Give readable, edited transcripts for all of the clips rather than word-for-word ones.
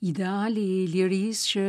Ideali i lirisë që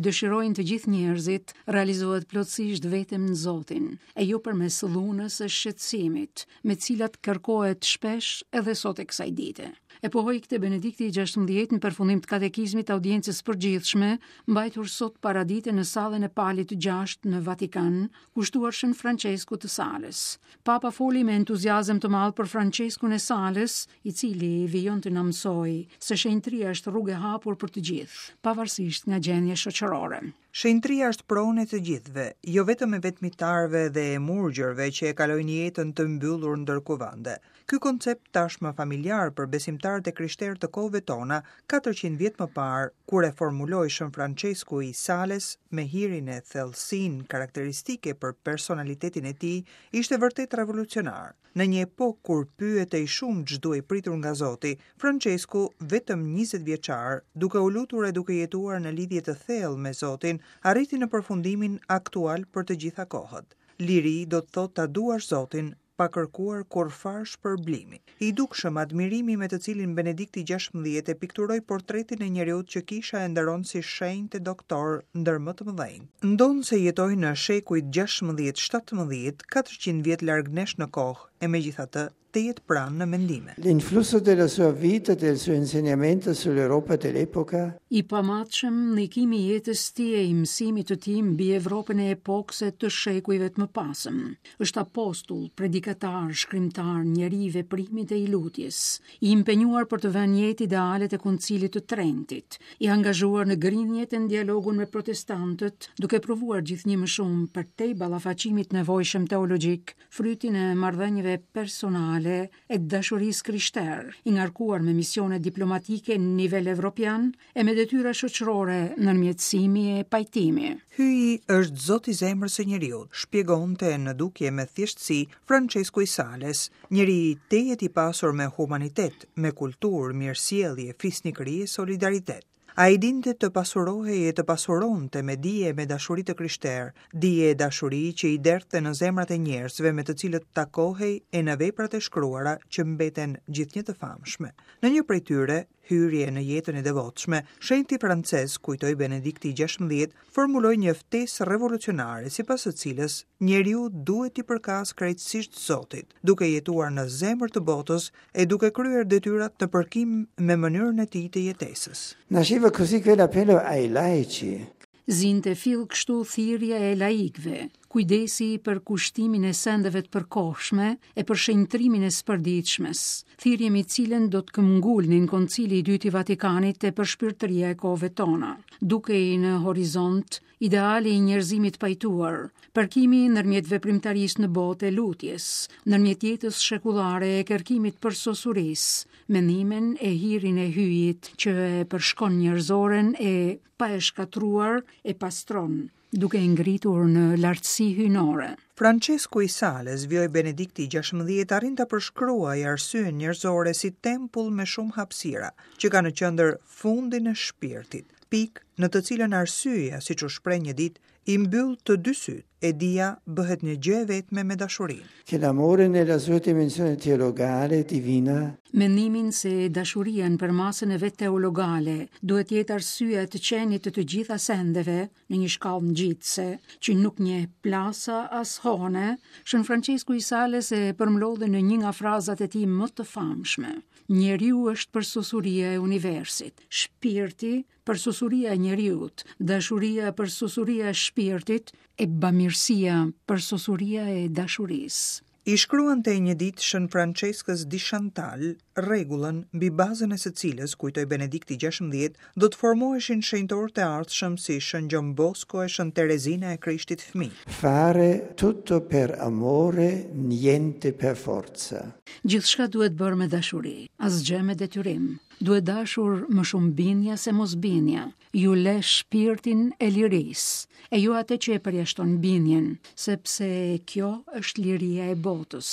dëshirojnë të gjithë njerëzit realizohet plotësisht vetëm në Zotin, e jo përmes dhunës e shqetësimit, me të cilat kërkohet shpesh edhe sot e kësaj dite. E pohoi këtë Benedikti i 16 në përfundim të katekizmit të audiencës së përgjithshme, mbajtur sot paradite në sallën e Palit të gjashtë në Vatikan, kushtuar Shën Françeskut të Salës. Papa foli me entuziazëm të madh për Françeskun e Salës, i cili vijon të na mësojë se shenjtëria është rrugë e hapur për të gjithë, pavarësisht nga gjendja shoqërore. Shenjtëria është pronë e të gjithëve, jo vetëm e vetmitarëve dhe e murgjërve që e kalojnë jetën të mbyllur ndër kuvende. Ky koncept tashmë familjar për besimtarët e krishterë të kohëve tona, 400 vjet më parë, kur e formuloi Shën Françesku i Sales me hirin e thellësinë karakteristike për personalitetin e tij, ishte vërtet revolucionar. Në një epokë kur pyetej shumë ç'duhej pritur nga Zoti, Françesku, vetëm 20 vjeçar, duke u lutur e duke jetuar në lidhje të thellë me Zotin, arriti në përfundimin aktual për të gjitha kohët. Liri do të thotë ta duash Zotin pa kërkuar kurrfarë shpërblimi. I dukshëm admirimi me të cilin Benedikti 16 e pikturoi portretin e njeriut që kisha e nderon si shenjt e doktor ndër më të mëdhenjtë. Ndonëse jetoi në shekujt 16-17, 400 vjet larg nesh në kohë, e megjithatë tejet pranë në mendime. L'influsso della sua vita e del suo insegnamento sull'Europa dell'epoca. I pamatshëm ndikimi i jetës së tij e i mësimit të tij mbi Evropën e epokës e të shekujve të mëpasëm. Është apostull, predikatar, shkrimtar, njeri i veprimit e i lutjes, i impenjuar për të vënë në jetë idealet e Koncilit të Trentit, i angazhuar në grindjet e në dialogun me protestantët, duke provuar gjithnjë më shumë përtej ballafaqimit të nevojshëm teologjik, frytin e marrëdhënieve personale e të dashurisë krishterë, i ngarkuar me misione diplomatike në nivel evropian e me detyra shoqërore ndërmjetësimi e pajtimi. Hyji është Zot i zemrës së njeriut, shpjegonte në dukje me thjeshtësi Françesku i Sales, njeri tejet i pasur me humanitet, me kulturë, mirësjellje, fisnikëri e solidaritet. Ai dinte të pasurohej e të pasuronte me dije e me dashuri të krishterë, dije e dashuri që i derdhte në zemrat e njerëzve me të cilët takohej e në veprat e shkruara që mbeten gjithnjë të famshme. Në një prej tyre, hyrje në jetën e devotshme, shenjti francez, kujtoi Benedikti i 16, formuloi një ftesë revolucionare sipas së cilës njeriu duhet t'i përkasë krejtësisht Zotit, duke jetuar në zemër të botës e duke kryer detyrat në përkim me mënyrën e tij të jetesës. Nasceva così quell'appello ai laici. Zinte fill kështu thirrja e laikëve, kujdesi për kushtimin e sendeve të përkohshme e për shenjtërimin e së përditshmes, thirrje mbi të cilën do të këmbëngulnin Koncili i Dytë i Vatikanit e përshpirtëria e kohëve tona. Dukej në horizont ideali i njerëzimit të pajtuar, përkimi ndërmjet veprimtarisë në botë e lutjes, ndërmjet jetës shekullare e kërkimit të përsosurisë, mendimin e hirin e hyjit që e përshkon njerëzoren e pa e shkatërruar e pastron, duke e ngritur në lartësi hyjnore. Françesku i Sales, vijoi Benedikti i 16, arrin ta përshkruajë arsyen njerëzore si tempull me shumë hapësira, që ka në qendër fundin e shpirtit, pikë në të cilën arsyeja, siç u shpreh një ditë, i mbyll të dy sytë, e dija bëhet një gjë e vetme me dashurinë. Che l'amore nella sua dimensione teologale divina. Mendimin se dashuria në përmasën e vet teologale duhet të jetë arsyeja e të qenit të të gjitha sendeve në një shkallë ngjitëse që nuk njeh plasa as hone, Shën Françesku i Sales e përmblodhi në një nga frazat e tij më të famshme. Njeriu është përsosuria e universit, shpirti Përsosuria e njeriut, dashuria përsosuria e shpirtit, e bamirësia përsosuria e dashurisë. I shkruante një ditë Shën Françeskës di Shantal rregullën mbi bazën e së cilës, kujtoi Benedikti 16, do të formoheshin shenjtorët e ardhshëm si Shën Gjon Bosko e Shën Terezina e Krishtit Fëmijë. Fare tutto per amore, niente per forza. Gjithçka duhet bërë me dashuri, asgjë me detyrim. Duhet dashur më shumë bindja se mosbindja. Ju le shpirtin e lirisë, e jo atë që e përjashton bindjen, sepse kjo është liria e botës,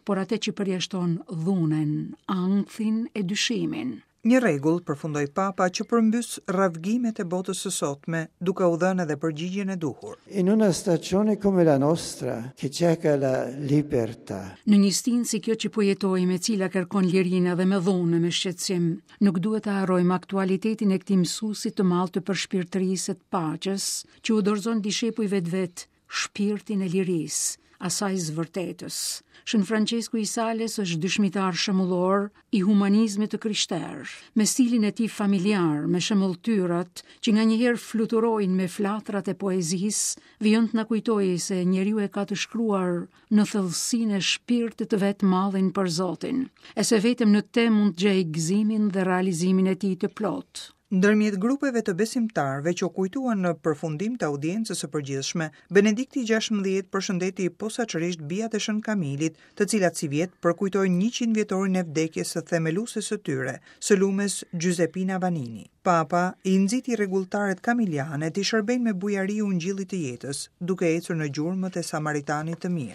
por atë që përjashton dhunën, ankthin e dyshimin. Një rregull, përfundoi Papa, që përmbys rravgimet e botës së sotme, duke u dhënë edhe përgjigjen e duhur. In una stagione come la nostra, che cerca la libertà. Në një stinë si kjo që po jetojmë, e cila kërkon lirinë edhe me dhunë e me shqetësim, nuk duhet të harrojmë aktualitetin e këtij mësuesi të madh të përshpirtërisë e të paqes, që u dorëzon dishepujve të vet shpirtin e lirisë, asaj së vërtetës. Shën Françesku i Sales është dëshmitar shembullor i humanizmit të krishterë, me stilin e tij familjar, me shembulltyrat që nganjëherë fluturojnë me flatrat e poezisë, vijon të na kujtojë se njeriu e ka të shkruar në thellësinë e shpirtit të vet mallin për Zotin, e se vetëm në te mund të gjejë gëzimin dhe realizimin e tij të plotë. Ndërmjet grupeve të besimtarëve që u kujtuan në përfundim të audiencës së përgjithshme, Benedikti 16 përshëndeti posaçërisht bijat e Shën Kamilit, të cilat sivjet përkujtojnë 100 vjetorin e vdekjes së themelueses së tyre, së lumes Giuseppina Vannini. Papa i nxiti rregulltaret kamiliane t'i shërbejnë me bujari ungjillit të jetës, duke ecur në gjurmët e Samaritanit të mirë.